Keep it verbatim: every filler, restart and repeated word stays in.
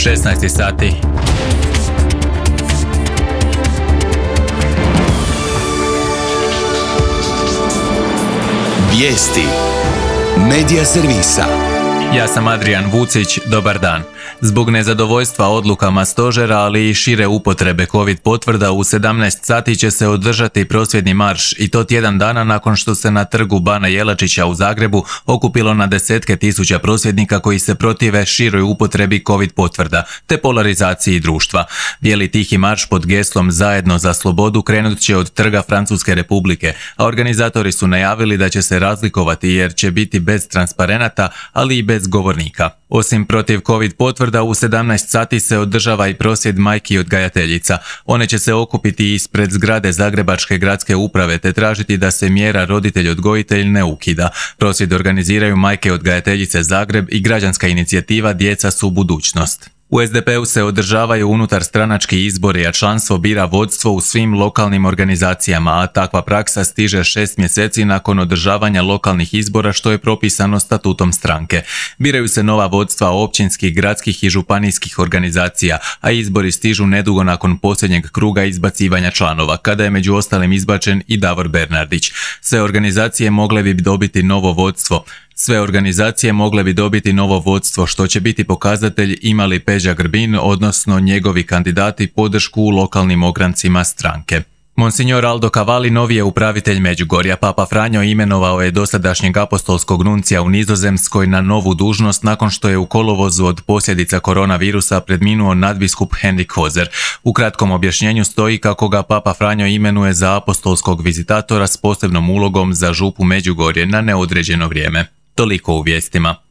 šesnaest sati. Vijesti Medija servisa. Ja sam Adrian Vucić, dobar dan. Zbog nezadovoljstva odlukama stožera, ali i šire upotrebe COVID potvrda, u sedamnaest sati će se održati prosvjedni marš, i to tjedan dana nakon što se na trgu Bana Jelačića u Zagrebu okupilo na desetke tisuća prosvjednika koji se protive široj upotrebi COVID potvrda te polarizaciji društva. Bijeli tihi marš pod geslom Zajedno za slobodu krenut će od trga Francuske Republike, a organizatori su najavili da će se razlikovati jer će biti bez transparenata, ali i bez govornika. Osim protiv COVID potvrda, u sedamnaest sati se održava i prosvjed majki odgajateljica. One će se okupiti ispred zgrade Zagrebačke gradske uprave te tražiti da se mjera roditelj-odgojitelj ne ukida. Prosvjed organiziraju majke odgajateljice Zagreb i građanska inicijativa Djeca su budućnost. U es de pe-u se održavaju unutar stranački izbori, a članstvo bira vodstvo u svim lokalnim organizacijama, a takva praksa stiže šest mjeseci nakon održavanja lokalnih izbora, što je propisano statutom stranke. Biraju se nova vodstva općinskih, gradskih i županijskih organizacija, a izbori stižu nedugo nakon posljednjeg kruga izbacivanja članova, kada je među ostalim izbačen i Davor Bernardić. Sve organizacije mogle bi dobiti novo vodstvo. Sve organizacije mogle bi dobiti novo vodstvo, što će biti pokazatelj ima li Peđa Grbin, odnosno njegovi kandidati, podršku u lokalnim ograncima stranke. Monsignor Aldo Cavalli novi je upravitelj Međugorja. Papa Franjo imenovao je dosadašnjeg apostolskog nuncija u Nizozemskoj na novu dužnost nakon što je u kolovozu od posljedica koronavirusa preminuo nadbiskup Henrik Hozer. U kratkom objašnjenju stoji kako ga Papa Franjo imenuje za apostolskog vizitatora s posebnom ulogom za župu Međugorje na neodređeno vrijeme. Toliko u vijestima.